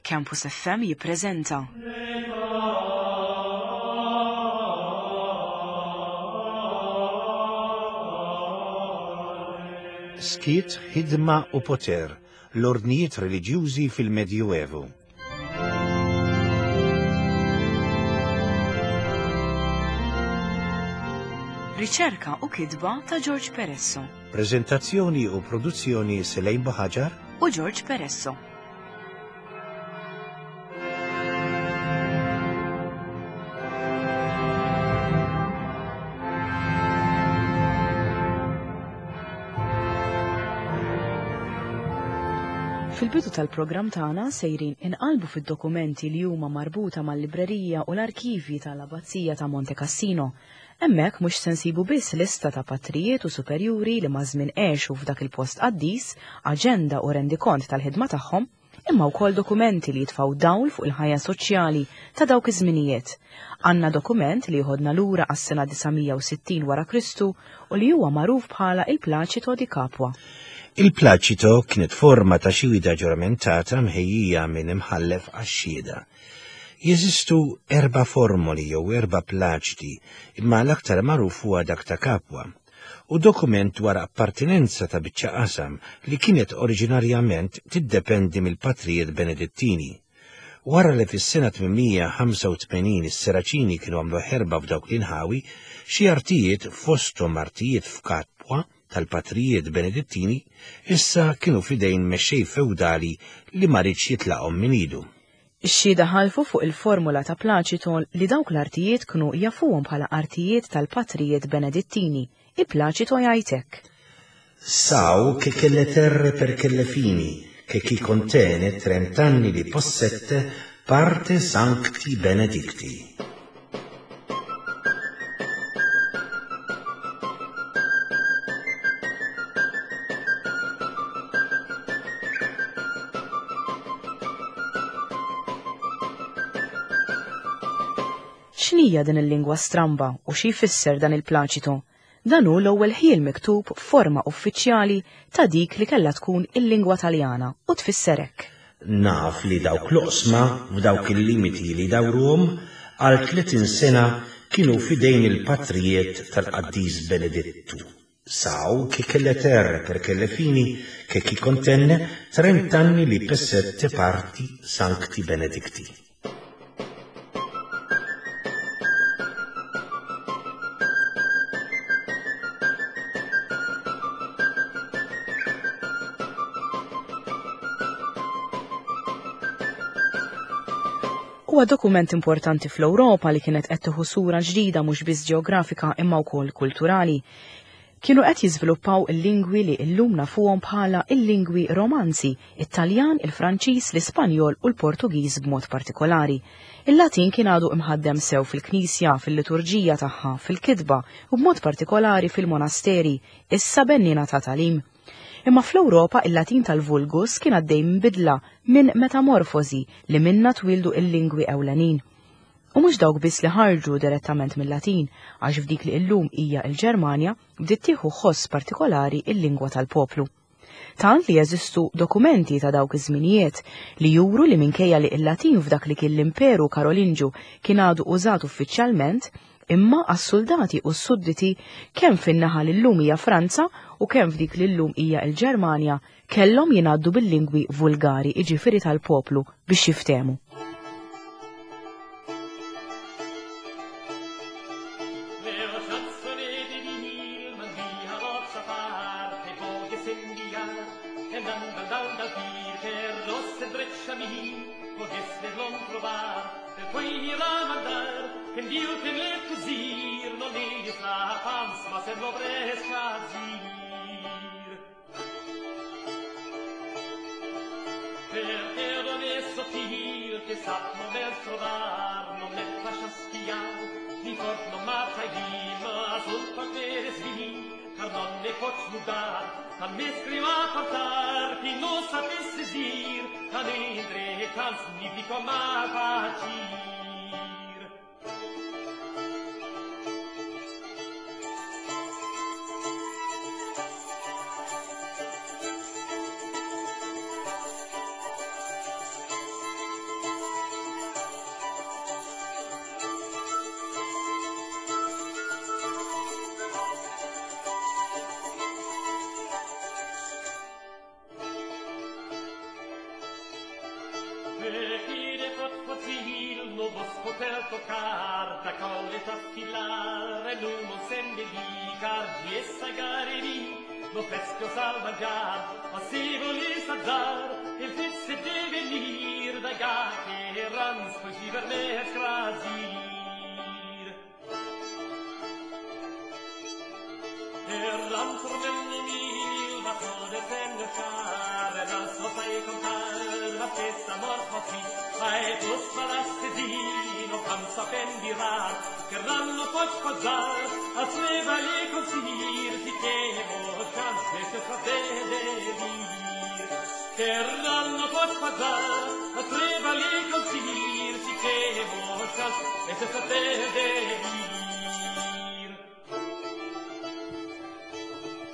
Campus FM jippreżenta. Skiet, ħidma u poter, l-ordnijiet reliġjużi fil-Medjuevu. Riċerka u kitba ta' George Peresso. Preżentazzjoni u produzzjoni Selejn Buħaġar u George Peresso. Fil-bidu tal-programm tagħna sejrin inqalbu fid-dokumenti li huma marbuta mal-librerija u l-arkivji tal-Abbazija ta' Monte Cassino. Hemmhekk mhux se nsibu biss lista ta' patrijiet u superjuri li maż-żmien għexu f'dak il-post qaddis, aġenda u rendikont tal-ħidma tagħhom, imma wkoll dokumenti li jitfgħu dawl fuq il-ħajja soċjali ta' dawk iż-żminijiet. Għandna dokument li jħodna lura għas-sena 960 wara Kristu u li huwa magħruf bħala il-Plaċito di Capua. Il-Plaċito kienet forma ta' xhieda ġuramentata mħejjija minn imħallef għax-xhieda. Jeżistu erba' formoli jew erba' plaċiti, imma l-aktar magħruf huwa dak ta' Capua, u dokument dwar appartenenza ta' biċċa qasam li kienet oriġinarjament tiddependi mill-patrijiet Benedittini. Wara li fis-sena 885 is-Seraċini kienu għamlu ħerba f'dawk l-inħawi, xi artijiet fosthom artijiet f'Kapwa tal-patrijiet Benedittini issa kienu f'idejn mexxej fewdali li ma riedx jitlaqhom minn idu. Ix-xhieda ħalfu fuq il-formula ta' Plaċito li dawk l-artijiet knu jafuhom bħala artijiet tal-patrijiet Benedittini, il-Plaċito jgħid hekk. Sau che chelle terre per chelle fini, che chi contene trent'anni li possette parte sancti benedicti. X'inhija din il-lingwa stramba u xi jfisser dan il-plaċito? Dan hu l-ewwel ħjiel miktub f'forma uffiċjali ta' dik li kellha tkun il-lingwa Taljana u tfisser hekk. Naf li dawk l-oqsma f'dawk il-limiti li jdawruhom għal 30 sena kienu f'idejn il-patrijiet tal-qaddis Benedittu. Sau che chelle terre per chelle fini che chi contenne trent'anni li pessette parti sancti benedicti. Huwa dokument importanti fl-Ewropa li kienet qed tieħu sura ġdida mhux biss ġeografika imma wkoll kulturali. Kienu qed jiżviluppaw il-lingwi li llum nafuhom bħala il-lingwi Romanzi, it-Taljan, il-Franċiż, l-Ispanjol u l-Portugiż b'mod partikolari. Il-Latin kien għadu imħaddem sew fil-Knisja, fil-liturġija tagħha, fil-kitba u b'mod partikolari fil-monasteri, issa benniena ta' tagħlim. Imma fl-Ewropa il-Latin tal-Vulgus kien għaddej minn bidla, minn metamorfosi li minnha twieldu il-lingwi ewlenin. U mhux dawk biss li ħarġu direttament mil-Latin, għax f'dik li illum hija l-Ġermanja bdiet tieħu ħoss partikolari l-lingwa tal-poplu. Tant li jeżistu dokumenti ta' dawk iż-żminijiet li juru li minkejja li l-Latin f'dak li kien l-Imperu Karolinġu kien għadu użat uffiċjalment, imma għas-suldati u s-sudditi kemm fin-naħa li llum hija Franza u kemm f'dik li llum hija l-Ġermanja kellhom jingħaddu bil-lingwi vulgari, jiġifieri tal-poplu, biex jiftehmu.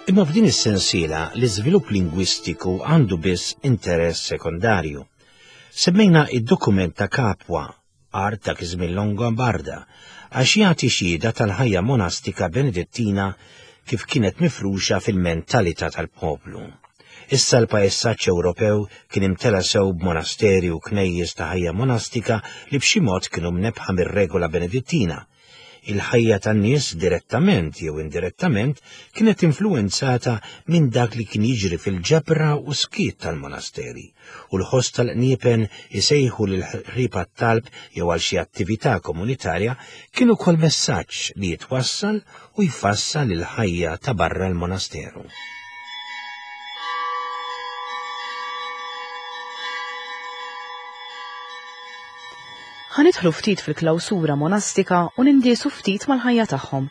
Imma f'din is-sensiela l-iżvilupp lingwistiku għandu biss interess sekondarju. Semmejna id-dokument ta' Capua, art dak iż-żmien Longobarda, għax jagħti xhieda tal-ħajja monastika Benedettina kif kienet mifruxa fil-mentalità tal-poplu. Issa l-pajsaġġ Ewropew kien imtela sew b'monasteri u knejjes ta' ħajja monastika li b'xi mod kienu mnebbħa mir-regola Benedittina. Il-ħajja tan-nies direttament jew indirettament kienet influwenzata minn dak li kien jiġri fil-ġabra u skiet tal-monasteri, u l-ħoss tal-qniepen isejħu lill-ħrieb għat-talb jew għal xi attività komunitarja kien ukoll messaġġ li jitwassal u jfassal il-ħajja ta' barra l-monasteru. Ħa nidħlu ftit fil-klawsura monastika u nindiesu ftit mal-ħajja tagħhom.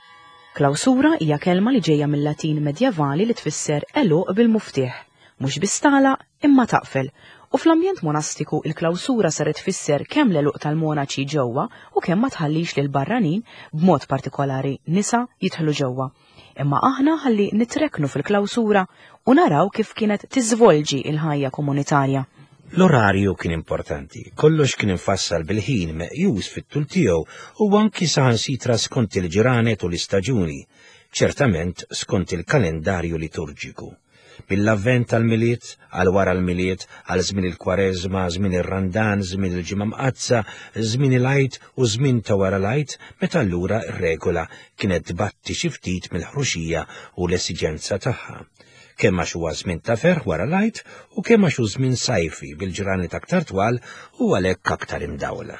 Klawsura hija kelma li ġejja mill-Latin medjevali li tfisser għeluq bil-muftieħ, mhux biss tagħlaq imma taqfel, u fl-ambjent monastiku il-klawsura saret tfisser kemm l-għeluq tal-monaċi ġewwa u kemm ma tħallix lill-barranin, b'mod partikolari nisa, jidħlu ġewwa. Imma aħna ħalli nitrekknu fil-klawsura u naraw kif kienet tiżvolġi l-ħajja komunitarja. L-orarju kien importanti, kollox kien imfassal bil-ħin meqjus fit-tul tiegħu u anki saħansitra skont il-ġranet u l-istaġuni, ċertament skont il-kalendarju liturġiku. Mill-Avvent għall-Milied, għal wara l-Milied, għal żmien il-Kwareżma, żmien ir-Randan, żmien il-Ġimgħa Mqaddsa, żmien il-Għid u żmien ta' wara l-Għid, meta allura r-regola kienet tbatti xi ftit mill-ħruxija u l-esiġenza tagħha. Kemm għax huwa żmien ta' ferħ wara l-Għid u kemm għax hu żmien sajfi bil-ġranet aktar twal u għalhekk aktar imdawla.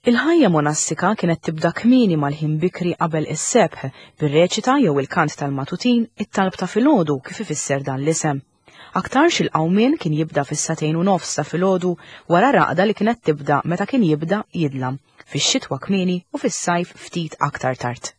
Il-ħajja monastika kienet tibda kmieni mal-ħin bikri qabel is-sebħ, bir-reċita jew il-kant tal-matutin, it-talb ta' filgħodu kif ifisser dan l-isem. Aktarx il-qawmien kien jibda fis-sagħtejn u nofs ta' filgħodu wara raqda li kienet tibda meta kien jibda jidlam, fix-xitwa kmieni u fis-sajf ftit aktar tard.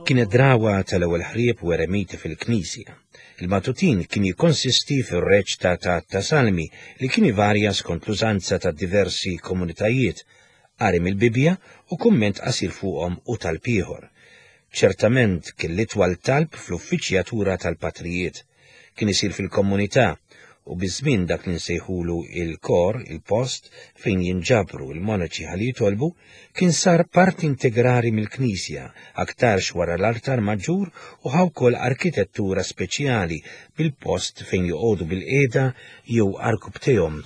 Kienet drawa tal-ewwel ħrieb u eremiti fil-knisja. Il-matutin kien jikkonsisti fir-reċta ta' ta' salmi li kien ivarja skont l-użanza ta' diversi komunitajiet, qari mill-Bibbja u kumment qasir fuqhom u talb ieħor. Ċertament kien l-itwal talb fl-uffiċjatura tal-patrijiet. Kien isir fil-komunità u biż-żmien dak li nsejħulu il-kor, il-post fejn jinġabru l-monaċi ħalli jitolbu, kien sar parti integrali mill-knisja, aktarx wara l-artar maġġur u ħa wkoll arkitettura speċjali bil-post fejn joqogħdu bilqiegħda jew arkubtejhom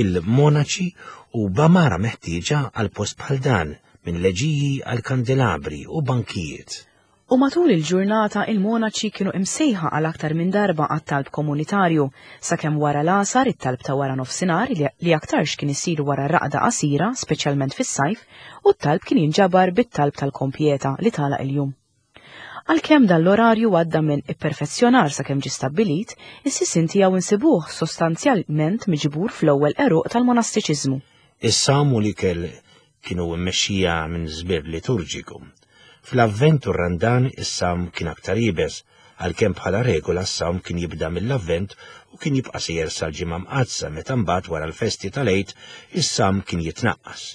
il-monaċi u b'għamara meħtieġa għal post bħal dan, minn leġiji għal kandelabri u bankijiet. U matul il-ġurnata il-monaċi kienu imsejħa għal aktar minn darba għat-talb komunitarju, sakemm wara l-għasar it-talb ta' wara nofsinhar li aktarx kien isir wara raqda qasira, speċjalment fis-sajf, u t-talb kien jinġabar bit-talb tal-kompjeta li tagħlaq il-jum. Għalkemm dan l-orarju għadda minn ipperfezzjonar sakemm ġie stabbilit, is-sisien tiegħu nsibuh sostanzjalment miġbur fl-ewwel għeruq tal-monastiċiżmu. Is-sawm u l-ikel kienu mmexxija minn żbir liturġiku. Fl-Avvent u r-Randan is-sawm kien aktar iebes, għalkemm bħala regola s-sawm kien jibda mill-Avvent u kien jibqa' sejjer sal-Ġimgħa Mqaddsa meta mbagħad wara l-festi tal-Għid is-sawm kien jitnaqqas.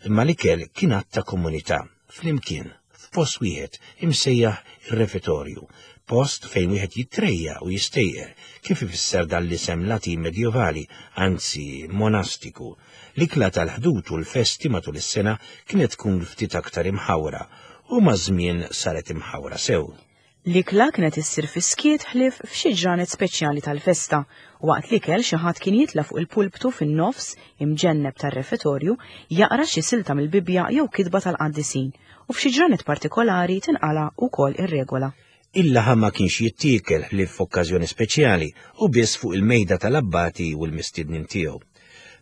Imma l-ikel kien att ta' komunità, flimkien, f'post wieħed imsejjaħ ir-refetorju. post fejn wieħed jitrejja u jistejqer, kif ifisser dan l-isem Latin medjevali, anzi monastiku. L-ikla tal-Ħdud u l-festi matul is-sena kienet tkun ftit aktar imħawra u maż-żmien saret imħawra sew. L-ikla kienet issir fis-skiet ħlief f'xi ġranet speċjali tal-festa. Waqt l-ikel xi ħadd kien jitla' fuq il-pulptu fin-nofs imġenneb tar-refetorju jaqra xi silta mill-Bibbja jew kitba tal-qaddisin u f'xi ġranet partikolari tinqala' wkoll ir-regola. Il-laħam ma kienx jittiekel ħlief f'okkażjoni speċjali u biss fuq il-mejda tal-abbati u l-mistiednin tiegħu.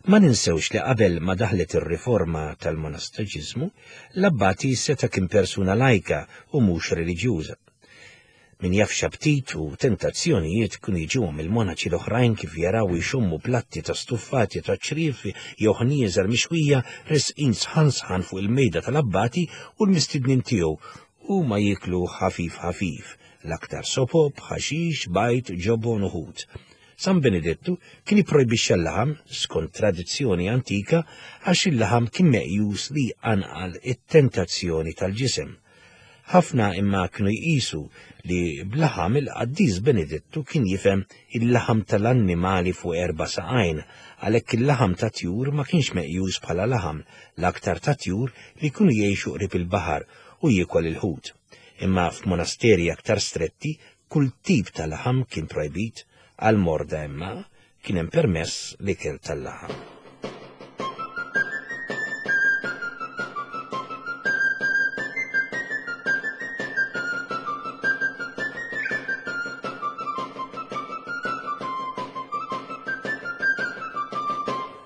Ma ninsewx li qabel ma daħlet ir-riforma tal-monasteċiżmu, l-abbati seta' kien persuna lajka u mhux reliġjuża. Min jaf x'aptit u tentazzjonijiet kienu jiġuhom il-monaċi l-oħrajn kif jaraw jxommu platti ta' stuffati ta' ċriev jew ħnieżer mixwija resqin sħan sħan fuq il-mejda tal-abbati u l-mistednin tiegħu huma jieklu ħafif ħafif, l-aktar sopop, ħaxix, bajd, ġobon u ħut. San Benedettu kien ipprojbixxa l-laħam skont tradizzjoni antika għax il-laħam kien meqjus li jqanqal it-tentazzjoni tal-ġisem. Ħafna imma kienu jqisu li b'laħam il-qaddis Benedettu kien jifhem il-laħam tal-annimali fuq erba' saqajn, għalhekk il-laħam ta' tjur ma kienx meqjus bħala laħam, l-aktar ta' tjur li jkunu jgħixu qrib il-baħar u jiekol il-ħut. Imma f'monasteri aktar stretti Kull tip ta' laħam kien projbit, għall-morda imma kien hemm permess l-ikel tal-laħam.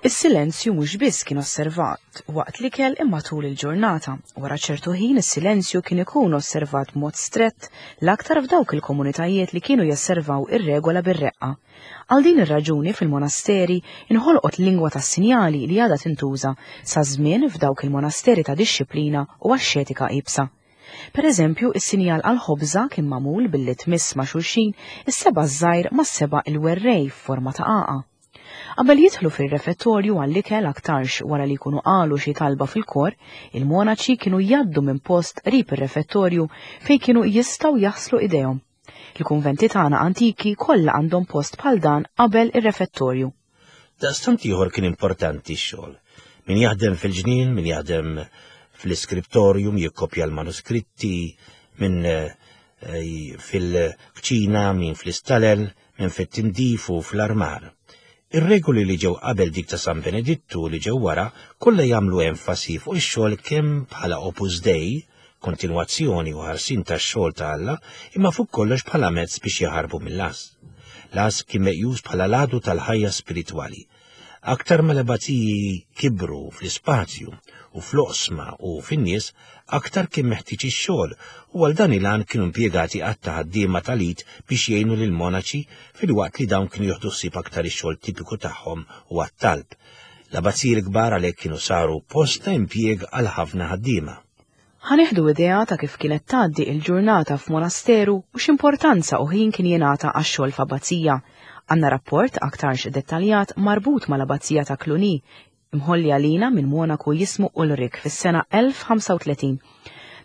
Is-silenzju mhux biss kien osservat waqt l-ikel imma tul il-ġurnata. Wara ċertu ħin is-silenzju kien ikun osservat b'mod strett l-aktar f'dawk il-komunitajiet li kienu jesservaw ir-regola bir-reqqa. Għal din ir-raġuni fil-monasteri inħolqot lingwa tas-sinjali li għadha tintuża sa żmien f'dawk il-monasteri ta' dixxiplina u axxetika iebsa. Per eżempju, is-sinjal għall-ħobża kien magħmul billi tmiss ma' xulxin is-seba' ż-żgħir mas-seba' il-werrej f'forma ta' għaqa. Qabel jidħlu fir-refettorju għall-ikel aktarx wara li jkunu qalu xi talba fil-kor, il-monaċi kienu jgħaddu minn post qrib ir-refettorju fejn kienu jistgħu jaħslu idejhom. Il-kunventi tagħna antiki kollha għandhom post bħal dan qabel ir-refettorju. Daqstant ieħor kien importanti x-xogħol. Min jaħdem fil-ġnien, min jaħdem fl-iskriptorium jikkopja l-manuskritti, min eh, fil-kċina, min fl-istalel, minn fit-tindif u fl-armar. Ir-regoli li ġew qabel dik ta' San Benedittu li ġew wara kollha jagħmlu enfasi fuq ix-xogħol kemm bħala opus dei, kontinwazzjoni u ħarsien tax-xogħol ta' Alla, imma fuq kollox bħala mezz biex jaħarbu mill-għażż. L-għażż kien meqjus bħala l-għadu tal-ħajja spiritwali. Aktar ma l-abbaziji kibru fl-ispazju u fl-oqsma u fin-nies, aktar kien meħtieġ ix-xogħol u għal dan il-għan kienu impjegati għadd ta' ħaddiema tal-id biex jgħinu lill-monaċi filwaqt li dawn kienu jieħdu ħsieb aktar ix-xogħol tipiku tagħhom u għat-talb. L-abbaziji l-kbar għalhekk kienu saru post ta' impjieg għal ħafna ħaddiema. Ħa nieħdu idea ta' kif kienet tgħaddi il-ġurnata f'monasteru u x'importanza u ħin kien jingħata għax-xogħol f'abbazija. Għandna rapport aktarx dettaljat marbut mal-Abbazija ta' Cluny, imħolli għalina minn monaku jismu Ulrich fis-sena 1035.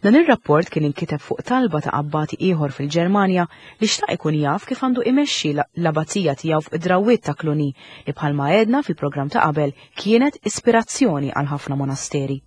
Dan ir-rapport kien inkiteb fuq talba ta' abbati ieħor fil-Ġermanja li xtaq ikun jaf kif għandu imexxi l-abbazija tiegħu fuq id-drawwiet ta' Cluny li bħalma għedna fil-programm ta' qabel kienet ispirazzjoni għal ħafna monasteri.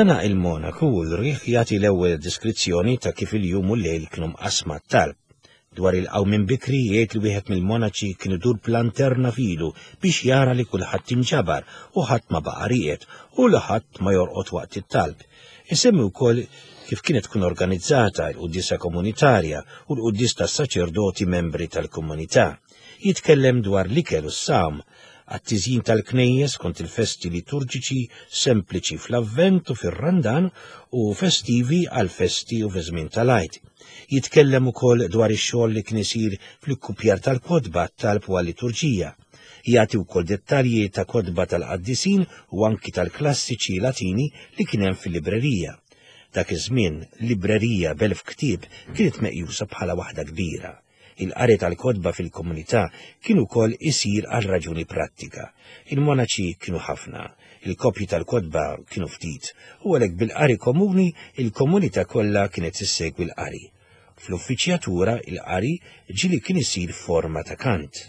Dana il-monaku Ulrich jagħti l-ewwel deskrizzjoni ta' kif il-jum u l-lejl kienu mqassma t-talb. Dwar il-qawmien bikri jgħid li wieħed mill-monaċi kien idur b'lanterna f'idu biex jara li kulħadd inġabar u ħadd ma baqa' rieqed u li ħadd ma jorqod waqt it-talb. Isemmi wkoll kif kienet tkun organizzata l-quddiesa komunitarja u l-quddies tas-saċerdoti membri tal-komunità. Jitkellem dwar l-ikel u s-sawm, għat-tiżjin tal-knejjes kont il-festi liturġiċi sempliċi fl-Avvent u fir-Randan u festivi għall-festi u fi żmien tal-Għid. Jitkellem ukoll dwar ix-xogħol li kien isir fl-ikkupjar tal-kotba għat-talb u għal-liturġija. Jagħti wkoll dettalji ta' kotba tal-qaddisin u anki tal-klassiċi Latini li kien hemm fil-librerija. Dak iż-żmien, librerija b'elf ktieb kienet meqjusa bħala waħda kbira. Il-qari tal-kotba fil-komunità kien ukoll isir għal raġuni prattika. Il-monaċi kienu ħafna, il-kopji tal-kotba kienu ftit, u għalhekk bil-qari komuni il-komunità kollha kienet issegwi l-qari. Fl-uffiċjatura il-qari ġieli kien isir f'forma ta' kant.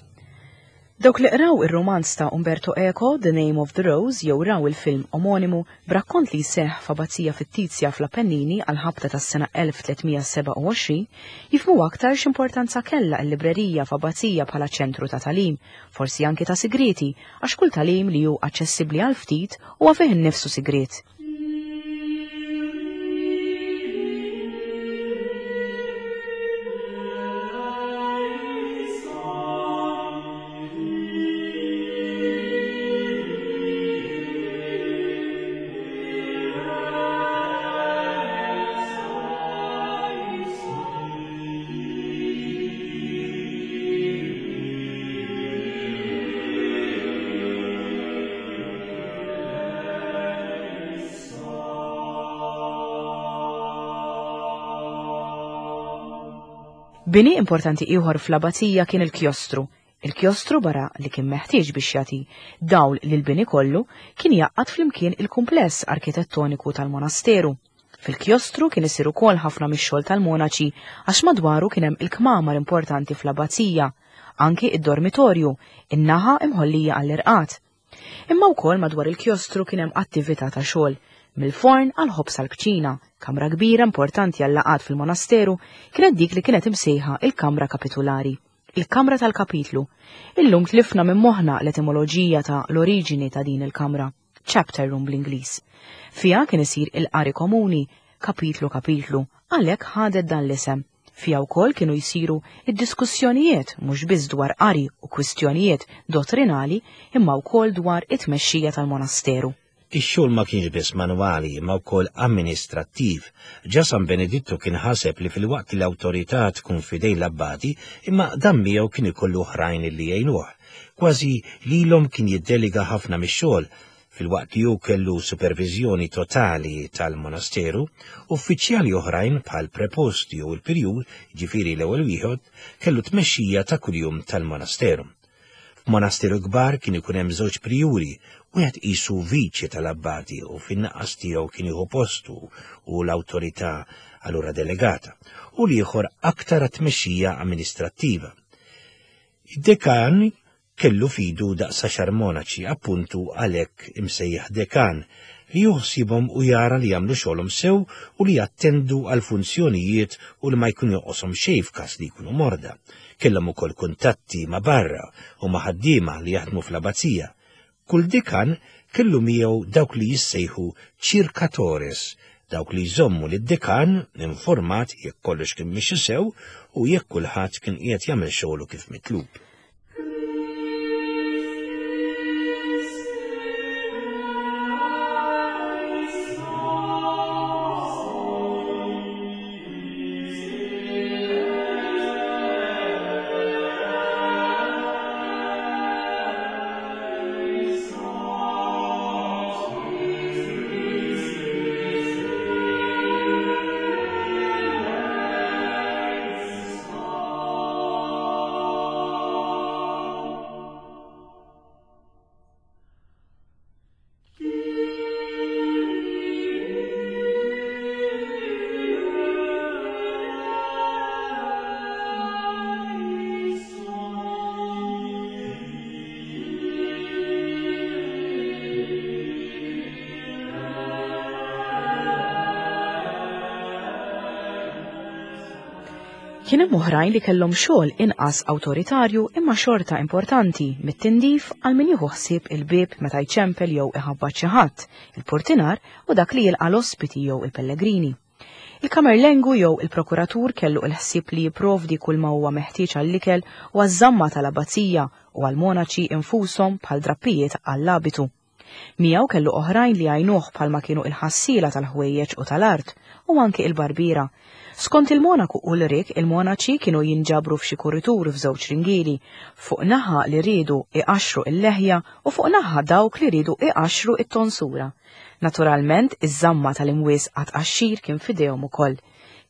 Dawk li qraw ir-rumanz ta' Umberto Eco, The Name of the Rose jew raw il-film omonimu b'rakkont li jseħħ f'abbazija fittizja fl-Appennini għall-ħabta tas-sena 1327, jifhmu aktar x'importanza kellha l-librerija f'abbazija bħala ċentru ta' tagħlim, forsi anki ta' sigrieti, għax kull tagħlim li hu aċċessibbli għal ftit huwa fih innifsu sigriet. Bini importanti ieħor fl-abbazija kien il-kjostru. Il-kjostru barra li kien meħtieġ biex jagħti dawl lill-bini kollu, kien jgħaqqad flimkien il-kumpless arkitettoniku tal-monasteru. Fil-kjostru kien isir ukoll ħafna mix-xogħol tal-monaċi għax madwaru kien hemm il-kmamar importanti fl-abbazija, anki id-dormitorju, in-naħa imħollija għall-irqad. Imma wkoll madwar il-kjostru kien hemm attività ta' xogħol, mill-forn għall-ħobż għall-kċina, kamra kbira importanti għal-laqgħat fil-monasteru kienet dik li kienet imsejħa il-kamra kapitulari, il-kamra tal-kapitlu. Illum tlifna minn moħħna l-etimoloġija ta' l-oriġini ta' din il-kamra, chapter room bl-Ingliż. Fiha kien isir il-qari komuni, kapitlu kapitlu, għalhekk ħadet dan l-isem. Fiha wkoll kienu jsiru d-diskussjonijiet mhux biss dwar qari u kwistjonijiet dottrinali imma wkoll dwar it-tmexxija tal-monasteru. Ix-xogħol ma kienx biss manwali imma wkoll amministrattiv. Ġa San Benedittu kien ħaseb li filwaqt li l-awtorità tkun f'idejn l-abbati, imma dan miegħu kien ikollu oħrajn li jgħinuh. Kważi lilhom kien jiddelega ħafna mix-xogħol. Filwaqt li hu kellu superviżjoni totali tal-monasteru, uffiċjali oħrajn bħal prepost jew il-pirjur, jiġifieri l-ewwel wieħed, kellu tmexxija ta' kuljum tal-monasteru. F'monasteru kbar kien ikun hemm żewġ prijuri, wieħed qisu viċi tal-abbati u fin-naqas tiegħu kien jieħu postu u l-awtorità allura delegata, u l-ieħor aktar għat-tmexxija amministrattiva. Id-dekan kellu f'idu daqs għaxar monaċi, appuntu għalhekk imsejjaħ dekan, li hu ħsiebhom u jara li jagħmlu xogħolhom sew u li jattendu għall-funzjonijiet u li ma jkun jonqoshom xejn f'każ li jkunu morda. Kellhom ukoll kuntatti ma' barra u ma' ħaddiema li jaħdmu fl-abbazija. Kull dekan kellu miegħu dawk li jissejħu circatores, dawk li jżommu lid-dekan informat jekk kollox kien mixi sew u jekk kulħadd kien qiegħed jagħmel xogħlu kif mitlub. Kien hemm oħrajn li kellhom xogħol inqas awtoritarju imma xorta importanti, mit-tindif għal min jieħu ħsieb il-bieb meta jċempel jew iħabbat xi ħadd, il-purtinar u dak li jilqa' l-ospiti jew il-pellegrini. Il-kamerlengu jew il-prokuratur kellu l-ħsieb li jipprovdi kull ma huwa meħtieġ għall-ikel u għaż-żamma tal-abbazija u għall-monaċi infushom bħal drappijiet għall-abitu. Miegħu kellu oħrajn li jgħinuh bħalma kienu il-ħassiela tal-ħwejjeġ u tal-art u anki il-barbiera. Skont il-monaku Ulrik, il-monaċi kienu jinġabru f'xi kuritur f'żewġ ringieli, fuq naħa li riedu iqaxxru il-leħja u fuq naħa dawk li riedu iqaxxru it-tonsura. Naturalment, iż-żamma tal-imwies għat-tqaxxir kien f'idejhom ukoll.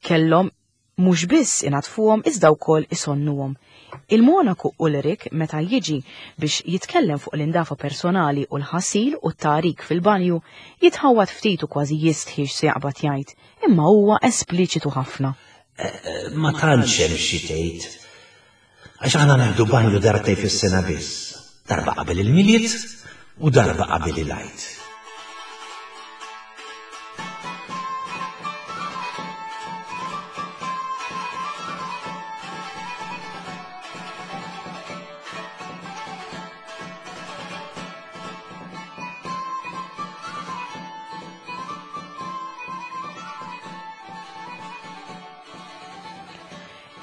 Kellhom mhux biss inaddfuhom iżda wkoll isonnuhom. Il-monaku Ulrik meta jiġi biex jitkellem fuq l-indafa personali u l-ħasil u t-tagħrik fil-banju, jitħawwad ftit u kważi jistħi x'se jaqbad jgħid, imma huwa espliċitu ħafna. Ma tantx hemm xi tgħid. Għax aħna neħdu banju darbtejn fis-sena biss, darba qabel il-Milied u darba qabel il-Għid.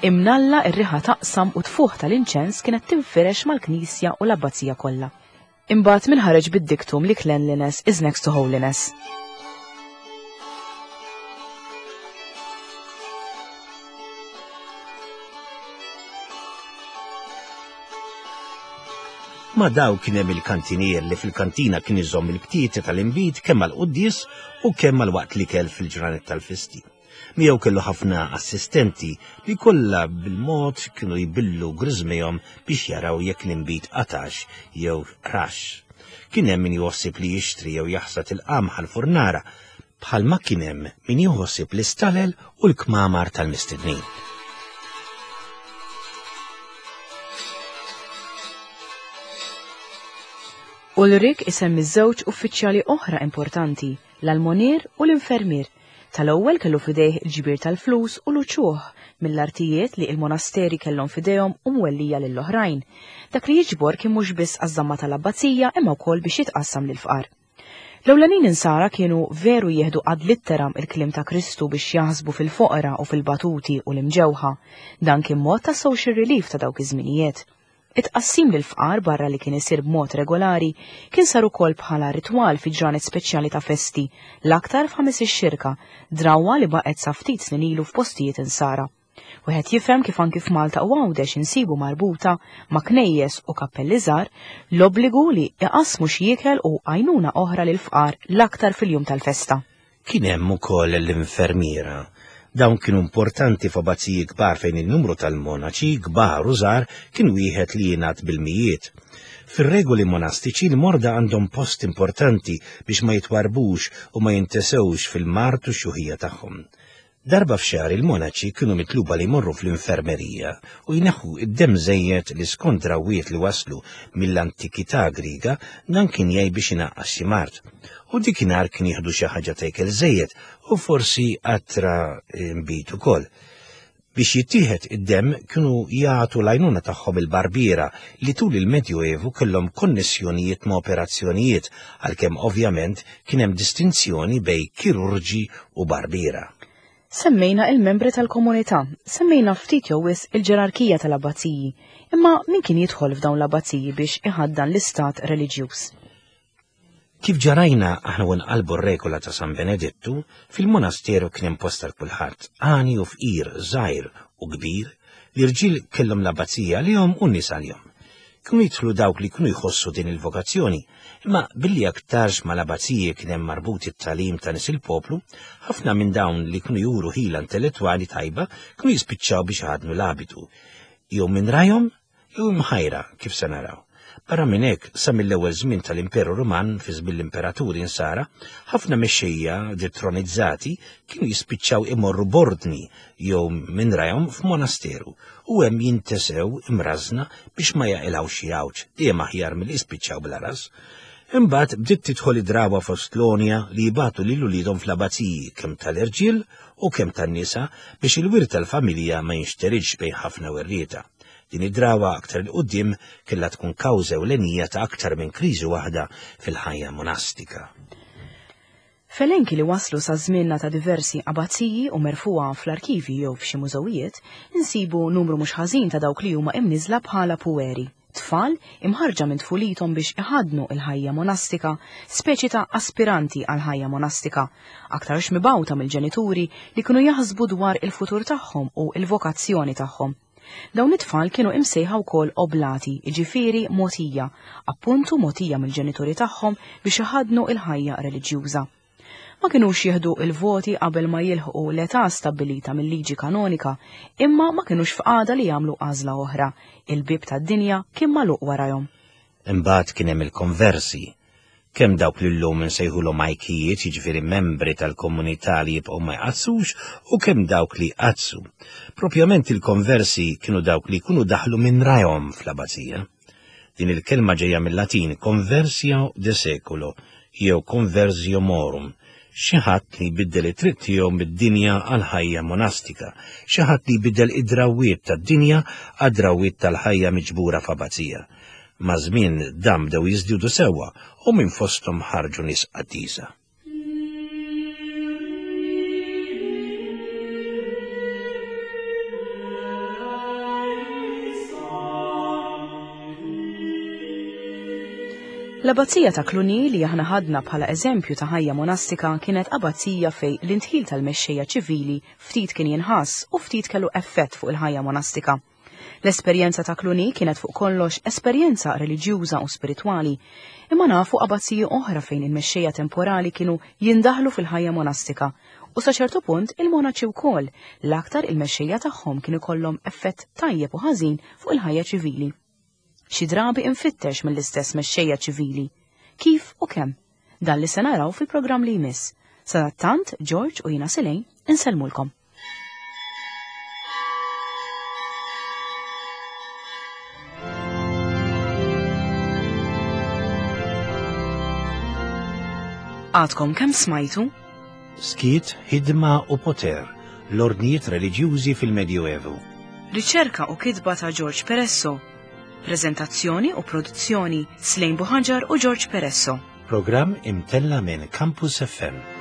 Imnalla r-riħa taqsam u tfuħ tal-inċens kienet tinfirex mal-knisja u l-abbazija kollha. Imbagħad min ħareġ bid-diktum li cleanliness is next to holiness. Ma daw kien hemm il-kantinier li fil-kantina kien iżomm il-btieti tal-inbid kemm għall-quddies u kemm għal waqt l-ikel fil-ġranet tal-festi. Miegħu kellu ħafna assistenti li kollha bil-mod kienu jbillu griżmejhom biex jaraw jekk l-inbid qatax jew rax. Kien hemm min jħossib li jixtri jew jaħsad il-qamħ għall-furnara, bħalma kien hemm min jħossib l-istalel u l-kmamar tal-mistednin. Ulrik isemmi żewġ uffiċjali oħra importanti, l-almonier u l-infermier. Tal-ewwel kellu f'idejh il-ġbir tal-flus u l-uċuħ mill-artijiet li il-monasteri kellhom f'idejhom u mwellija lill-oħrajn. Dak li jiġbor kien mhux biss għaż-żamma tal-abbazija imma wkoll biex jitqassam lill-fqar. L-ewlenin insara kienu veru jieħdu ad litteram il-kliem ta' Kristu biex jaħsbu fil-foqra u fil-batuti u l-imġewħa. Dan kien mod ta' social relief ta' dawk iż-żminijiet. It-tqassim lill-fqar barra li kien isir b'mod regolari kien sar ukoll bħala ritwal fi ġranet speċjali ta' festi, l-aktar f'Ħamis ix-Xirka, drawwa li baqgħet sa ftit snin ilu f'postijiet insara. Wieħed jifhem kif anki f'Malta u Għawdex insibu marbuta ma' knejjes u kappelli żgħar l-obbligu li iqassmu xi ikel u għajnuna oħra lill-fqar l-aktar fil-jum tal-festa. Kien hemm ukoll l-infermiera. Dawn kienu importanti f'abbaziji kbar fejn in-numru tal-monaċi, kbar u żgħar, kien wieħed li jingħadd bil-mijiet. Fir-regoli monastiċi l-morda għandhom post importanti biex ma jitwarrbux u ma jintesewx fil-mard u x-xjuħija tagħhom. Darba f'xahar il-monaċi kienu mitluba li jmorru fl-infermerija u jneħħu id-demm żejjed li skont drawwiet li waslu mill-antikità Griega dan kien jgħin biex inaqqas xi mard. U dikinhar kien jieħdu xi ħaġa ta' ikel żejjed u forsi qatra nbid ukoll. Biex jittieħed id-demm kienu jagħtu l-għajnuna tagħhom il-barbiera li tul il-Medjuevu kellhom konnessjonijiet ma' operazzjonijiet għalkemm ovvjament kien hemm distinzjoni bejn kirurġi u barbiera. Semmejna il-membri tal-komunità, semmejna ftit jew wisq il-ġerarkija tal-abbaziji, imma min kien jidħol f'dawn l-abbaziji biex iħaddan l-istat reliġjuż? Kif ġarajna aħna u nqalbu r-regola ta' San Benedittu, fil-monasteru kien hemm post għal kulħadd, għani u fqir, żgħir u kbir, l-irġiel kellhom l-abbazija għalihom u n-nisa għalihom. Kienu jidħlu dawk li kienu jħossu din il-vokazzjoni, imma billi aktarx mal-abbaziji kien hemm marbut it-tagħlim ta' nies il-poplu, ħafna minn dawn li kienu juru ħila intellettwali tajba kienu jispiċċaw biex iħaddnu l-abitu, jew minn rajhom jew imħajra kif se naraw. Barra minn hekk, sa mill-ewwel żmien tal-Imperu Ruman fi żmien l-imperaturi Insara, ħafna mexxejja detronizzati kienu jispiċċaw imorru b'ordni jew minn rajhom f'monasteru u hemm jintesew imrażżna biex ma jaqilgħux xi għawġ, dejjem aħjar milli jispiċċaw bla ras. Imbagħad bdiet tidħol id-drawa fost l-għonja li jibagħtu lil uliedhom fl-abbaziji kemm tal-irġiel u kemm tan-nisa biex il-wirt tal-familja ma jinxteridx bejn ħafna werrieta. Din id-drawa aktar 'il quddiem kellha tkun kawża ewlenija ta' aktar minn kriżi waħda fil-ħajja monastika. F'elenki li waslu sa żmienna ta' diversi abbaziji u merfugħa fl-arkivji jew f'xi mużewijiet, insibu numru mhux ħażin ta' dawk li huma imniżżla bħala pueri, tfal imħarrġa minn tfulithom biex iħaddnu l-ħajja monastika, speċi ta' aspiranti għall-ħajja monastika, aktarx mibgħuta mill-ġenituri li kienu jaħsbu dwar il-futur tagħhom u l-vokazzjoni tagħhom. Dawn it-tfal kienu imsejħa wkoll oblati, jiġifieri mogħtija, appuntu mogħtija mill-ġenituri tagħhom biex iħaddnu l-ħajja reliġjuża. Ma kinux jieħdu l-voti qabel ma jilħqu l-età stabbilita mil-liġi kanonika, imma ma kinux f'qagħda li jagħmlu għażla oħra, il-bieb tad-dinja kien magħluq warajhom. Imbagħad kien hemm il-konversi, kemm dawk li llum insejħulhom ajkijiet, jiġifieri membri tal-komunità li jibqgħu ma jqaddsux, u kemm dawk li jqaddsu. Propjament il-konversi kienu dawk li jkunu daħlu minn rajhom fl-abbazija. Din il-kelma ġejja mill-Latin conversio de seculo jew conversio morum, xi ħadd li jbiddel it-triq tiegħu mid-dinja għall-ħajja monastika, xi ħadd li jbiddel id-drawwiet tad-dinja għad-drawwiet tal-ħajja miġbura f'abbazija. Maż-żmien dan bdew jiżdiedu sewwa u minn fosthom ħarġu nies qaddisa. L-Abbazija ta' Cluny li aħna ħadna bħala eżempju ta' ħajja monastika kienet abbazija fejn l-indħil tal-mexxejja ċivili ftit kien jinħass u ftit kellu effett fuq il-ħajja monastika. L-esperjenza ta' Cluny kienet fuq kollox esperjenza reliġjuża u spiritwali, imma nafu abbaziji oħra fejn il-mexxejja temporali kienu jindaħlu fil-ħajja monastika, u sa ċertu punt il-monaċi wkoll, l-aktar il-mexxejja tagħhom kien ikollhom effett tajjeb u ħażin fuq il-ħajja ċivili. Xi drabi imfittex mill-istess mexxejja ċivili. Kif u kemm? Dan li se naraw fil-programm li jmiss. Sadattant, George u jiena Selejn insellmulkom. Għadkom kemm smajtu? Skiet, ħidma u poter, l-ordnijiet reliġjużi fil-Medjuevu. Riċerka u kitba ta' George Peresso. Preżentazzjoni u produzzjoni Slejn Buħaġar u George Peresso. Programm imtella' minn Campus FM.